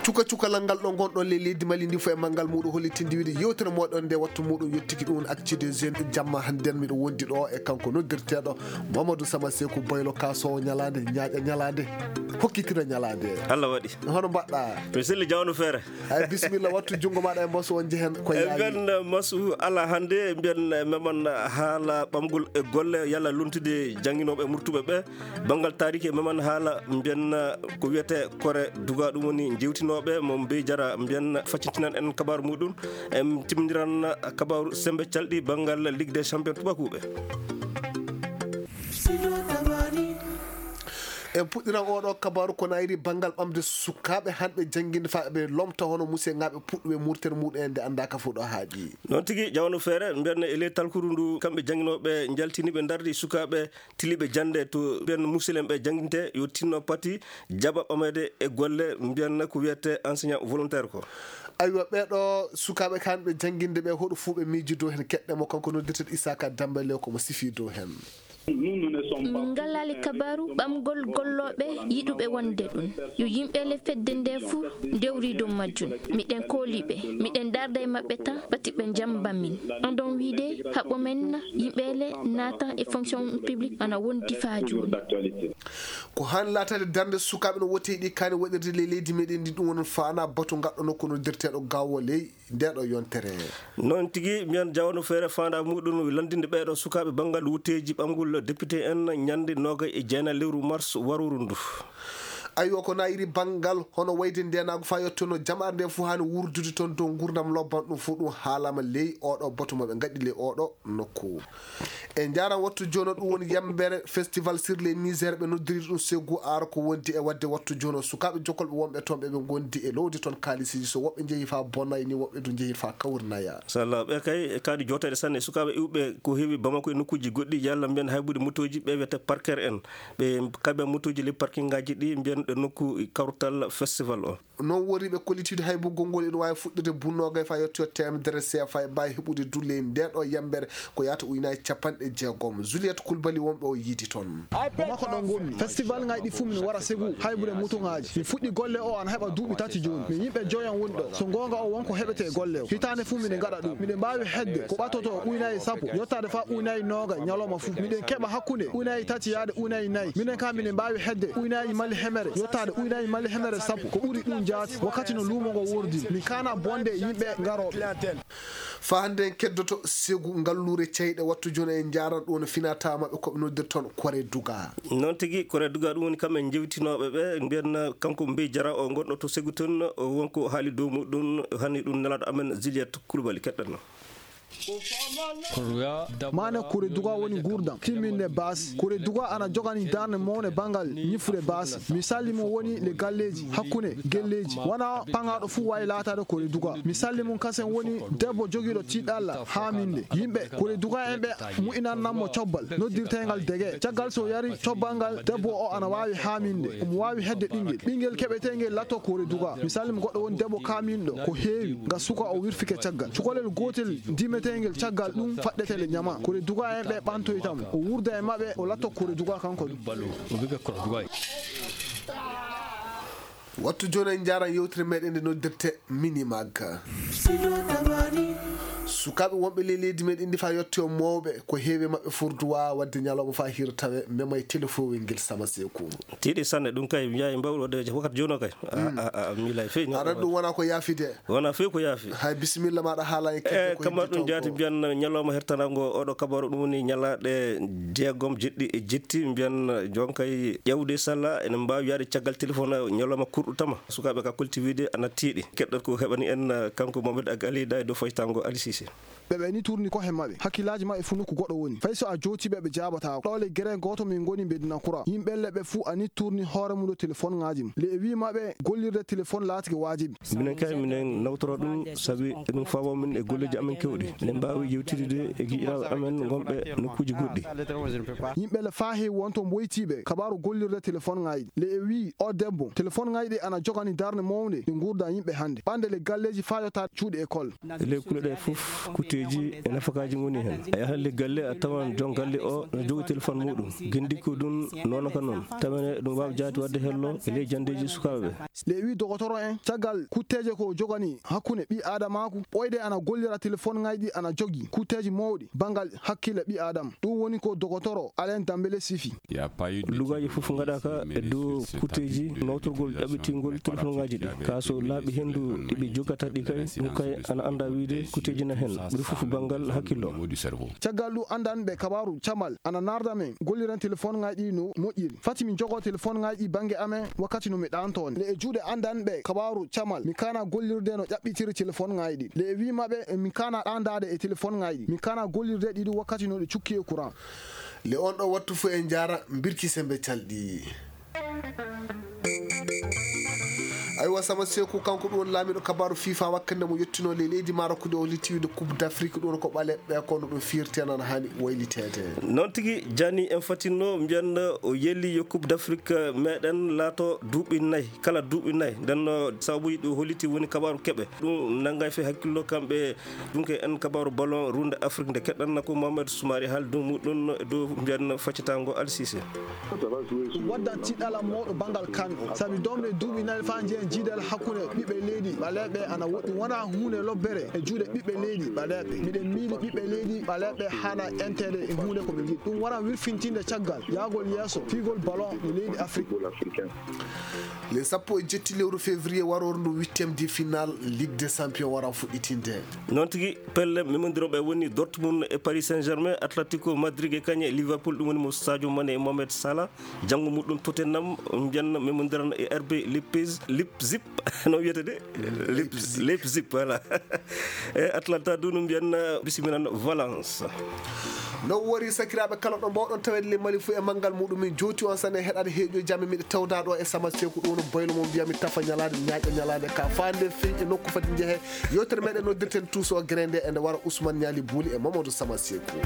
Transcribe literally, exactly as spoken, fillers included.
Cuka cukalal ngal ɗo ngonɗon ley leydi Mali ndi fof e manngal muɗum hollitinde wiide yewtere moɗon nde wattu muɗum yettiki ɗum Actu des Jeunes. Jamma hannden miɗo wondi ɗo e kanko noddirteeɗo Mamadou Sama Seku Boylo, kasowo ñalaande, ñaaƴa ñalaande, hokkitira ñalaande. Allah waɗi. Hono mbaɗɗa? Mi selli jawno feere. Ay, bisimilla, wattu junngo maɗa e mbasu on njehen ko e yaawi. Mbiyen mbasu ala hannde, mbiyen meman haala ɓamgol e golle, yalla lontude jannginooɓe e murtuɓe ɓe. Banngal taariki e meman haala mbiyen ko wiyetee kore duga, ɗum woni njewtinooɓe mo Mbey Jara, mbiyen faccintinan en kabaaru muɗum. En timmindiran kabaaru semmbe calɗi banngal Ligue des Champions tubakuuɓe. En puɗɗiran oɗo kabaaru ko nayri banngal ɓamde sukaaɓe hanɓe jannginde faa ɓe lomta hono museŋaaɓe puɗɗuɓe murtere muɗum en nde anndaaka fof ɗo haaɗi. Noon tigi, jawano feere, mbiyen e ley talkuru ndu, kamɓe jannginooɓe njaltini ɓe ndardi sukaaɓe tiliiɓe jannde to mbiyen musilem ɓe jannginte yo tinno pati jaɓa ɓameede e golle mbiyen ko wiyetee enseignant volontaire ko. Aywa, ɓeeɗo sukaaɓe kan ɓe jannginde ɓe, hoɗo fuu ɓe miiji dow heen? Keɗɗe mo kanko noddirteeɗo Isaka Dambale ko mo sifi dow heen. Min ngalaali kabaaru ɓamgol gollooɓe yiɗuɓe wonde ɗum. Yo yimɓe le fedde nde fuu ndewri dow majjum. Miɗen kooli ɓe. Miɗen darda e maɓɓe tan, pati ɓe njamba min. Andon wiide haɓo men yimɓe le naatan e fonction publique ana wondi faa jooni. Ko haan laataade darnde sukaaɓe no woteeɗi kaani waɗirde ley leydi meɗen ndi, ɗum woni faana batu ngaɗɗo nokku noddirteeɗo Gaawo ley ndeeɗo yontere. Noon tigi, mbiyen jawano feere faandaa muɗum landinde ɓeeɗo sukaaɓe banngal wutteeji ɓamgol député en ñande noogay e jeenayi lewru mars waruru ndu. Aywa, ko nayri banngal hono wayde ndeenaagu faa yottono jamaare nde fof haani wurdude toon dow nguurndam lobban, ɗum fof ɗum haalaama ley oɗo batu maɓe ngaɗi ley oɗo nokku. E njaaram wattu jooni o, ɗum woni yambere festival sur les misères ɓe noddiri ɗum Ségou Art, ko wondi e waɗde wattu jooni o sukaaɓe jokkolɓe wonɓe toon ɓe ɓe ngondi e lowde toon kaalisiji, so woɓɓe njehi faa Bonay ni, woɓɓe du njehi faa Kawrnaya. Machallah, ɓe kay e kaadi jooteeɗe sanne, sukaaɓe iwɓe ko heewi Bamako e nokkuuji goɗɗi, yalla mbiyen haybude motooji, ɓe wiyetee parker en, ɓe kaɓa motooji ley parking ngaaji ɗi, mbiyen ɗo nokku kawtal festival o. Noon wori ɓe kollitiiɗo haybugol ngol ina waawi fuɗɗirde bu noogay faa yettoyo teemedere seefa e mbaawi heɓude du ley ndee ɗo yambere ko yahata ujunaaji capanɗe jeegom. Juliette Koulibaly wonɓe o yiidi toon. Ko makko ɗon ngonmi. Festival ngaji ɗi fuu min wara Ségou haybude motoŋaaji. Mi fuɗɗi golle o ana heɓa duuɓi tati jooni. Min yimɓe joyan woni ɗo. So goonga o wonko heɓetee golle o. Hitaande fuu miɗen ngaɗa ɗum. Miɗen mbaawi hedde ko ɓattoto ujunaaji sappo yottaade faa ujunaaji noogay ñalawma fuu. Miɗen keɓa hakkunde ujunaaji tati yaade ujunaaji nayi. Minen kaa miɗen mbaawi hedde ujunaaji Mali hemere yottaade ujunaaji Mali hemere sappo. Ko ɓuri ɗum jaati wakkati no luumo ngo wordiri. Min kaana bonde e yimɓe ngarooɓe. Faa hannde en keddoto Ségou, ngalluure ceyɗe, wattu jooni en njaaran ɗum no finata maɓɓe ko ɓe noddirta toon Kore Duga. Noon tigi, Kore Duga ɗum woni kamɓe njewtinooɓe ɓe, mbiyen kanko Mbey Jara o ngonɗo to Ségou toon, o wonko haali dow muɗum, hani ɗum nelaaɗo amen Juliette Koulibaly, keɗɗen no. Maana Kore Duga woni nguurndam timminde baasi. Kore Duga ana jogani darnde mawnde banngal ñifrude baasi. Misalji mum woni le galleeji, hakkunde gelleeji. Wona paŋaaɗo fuu waawi laataade Kore Duga. Misalji mum kasen woni debbo jogiiɗo tiiɗalla haaminde. Yimɓe Kore Duga en ɓe mu'inannan mo cobbal noddirteengal dege. Caggal so yari cobbal ngal, debbo o ana waawi haaminde. Omo waawi hedde ɓinngel. Ɓinngel keɓeteengel latto Kore Duga. Misalji mum goɗɗo woni debbo kaaminɗo ko heewi, nga suka o wirfike caggal. Cukalel gootel dimeteengel caggal ɗum faɗɗete le ñama. Kore Duga en ɓe ɓantoyta mo. O wurda e maɓɓe, o latto Kore Duga kanko du. Wattu jooni en njaaran yewtere meɗen nde noddirte Minimag. Sukaaɓe wonɓe ley leydi meɗen ndi faa yettoyo mawɓe, ko heewi maɓɓe furduwa waɗde ñalawma faa hiira tawe mema e telefowel ngel Sama Seku. Tiiɗi sanne, ɗum kay mi yahi mbawɗo waɗde wakkati jooni o kay. A, a, a, mi lay fey. Aɗa ɗum wona ko yaafide. Wona few ko yaafi. Hay bisimilla maɗa haala e kedde. E ko kamma heddi ɗum tan jaati ko. Mbiyan ñalawma hertanango oɗo kabaru ɗum woni ñalaaɗe jeegom jeɗɗi e jetti, mbiyan jonkay ƴewde salla ene mbaawi yaade caggal téléphone ñalawma kurɗo tama. Sukaaɓe ka kolti wiide ana tiiɗi. Keɗɗat ko heɓani en, eh, kanko Mohamed Ag Ali da e dow faytango Ali Cissé. Ɓe ɓe ni tourni kohe maɓɓe, hakkillaaji maɓɓe fuu nokku goɗɗo woni. Fay so a jooti ɓe, ɓe jaabataako. Ɗo le gere gooto min ngoni Medina Kura. Yimɓe le ɓe fuu a ni tourni hoore mum ɗo téléphone ŋaaji mum. Le e wii maɓɓe gollirde téléphone laatike waajibi. Minen kay, minen nawtora ɗum, sabi eɗum faabo min e golleeji amen keewɗi. Minen mbaawi yewtidde e giƴiraaɓe amen ngonɓe nokkuuji goɗɗi. Yimɓe le faa heewi won to mboytiiɓe kabaaru gollirde téléphone ŋaaji. Le e wii o debbo, téléphone ŋaaji ɗi ana jogani darnde mawnde e nguurndam yimɓe hannde. Ɓande le galleeji faa yotta cuuɗi école. E ley kuule ɗe fof, Kutteeji e nafakaaji ngoni heen. A yahat le galle, a tawan joom galle o no jogi téléphone muɗum. Ginndikku ɗum noon ka noon. Tawa ne ɗum waawi jaati waɗde hello e ley janndeeji sukaaɓe ɓe. Le wi dogotoro en, caggal kutteeje ko jogani hakkunde ɓi aadamaaku, ɓooyde ana gollira téléphone ŋaaji ɗi ana jogi kutteeji mawɗi banngal hakkille ɓi aadama. Ɗum woni ko dogotoro Alain Dambele sifi. Lugaaji fof ngaɗaaka e dow kutteeji nawtorgol ƴaɓɓitingol téléphone ŋaaji ɗi. Ka so laaɓi henndu ɗi ɓe jogata ɗi kay, ɗum kay ana annda wiide kutteeji na heen. Ɓuri fof banngal hakkillo. Caggal ɗum anndan ɓe kabaaru camal ana narda men golliren téléphone ŋaaji ɗi no moƴƴiri. Fati min jogo téléphone ŋaaji ɗi bannge amen wakkati no mi ɗaanto on. Le e juuɗe anndan ɓe kabaaru camal mi kana gollirde no ƴaɓɓitiri téléphone ŋaaji ɗi. Le e wi maɓɓe min kana ɗaandaade e téléphone ŋaaji ɗi. Min kana gollirde ɗi ɗum wakkati no ɗi cukki e courant. Le on ɗo wattu fof en njaara mbirki sembe calɗi. Aywa, Sama Seeku, kanko ɗum woni laamiiɗo kabaaru fifa wakkande mo yettino le leydi Marok nde o litiwide Coupe d'Afrique, ɗum ko ɓaleeɓe kono ɗum firti ana haani wayliteede. Noon tigi, Jani en fatinno mbiyan o yeli yo Coupe d'Afrique meɗen laato duuɓi nayi, kala duuɓi nayi. Nden no sababuji ɗi holiti woni kabaaru keɓe. Ɗum nanngay fe hakkillo kamɓe. Ɗum ko en kabaaru ballon runde Afrique nde keɗɗanna ko Mohamed Soumaré haal dow muɗum e dow mbiyan faccatango Al Sisi. Waddan tiɗɗala mawɗo banngal kan o. Sabi doomde duuɓi nayi faa njeyen jiidal hakkunde ɓiɓɓe leydi ɓaleeɓe ana woɗɗi. Wona huunde lobbere e juuɗe ɓiɓɓe leydi ɓaleeɓe. Miɗen miili ɓiɓɓe leydi ɓaleeɓe haana enteede e huunde ko ɓe njiɗi. Ɗum wara wirfintinde caggal yaagol yeeso fiigol ballon e leydi Afrique. Le sappo e jetti lewru février waroor ndu huitième de finale Ligue des Champions wara fuɗɗitinde. Noon tigi, pelle memondiroɓe woni Dortmund e Paris Saint-Germain, Atletico Madrid e kañe Liverpool, ɗum woni mo Sadio Mané e Mohamed Salah. Janngo muɗum Tottenham mbiyan memondiran e R B Leipzig, Leipzig, no wiyete de? Leipzig. Leipzig, voilà. E Atlanta du no mbiyan bisimilan Valence. No wori sakiraaɓe kala ɗo mbawɗon taweede le Mali fof e manngal muɗum, min jooti on sane heɗaade heeƴo jamme miɗe tawda ɗo e Sama Seeku, ɗum no boylo mo mbiyami tafa ñalaande ñaaƴa ñalaande ka faande fin e nokku fadi njehe. Yewtere meɗen noddirten tuuso grende e nde wara Ousmane Ñaali Buuli e Mamadou Sama Seeku.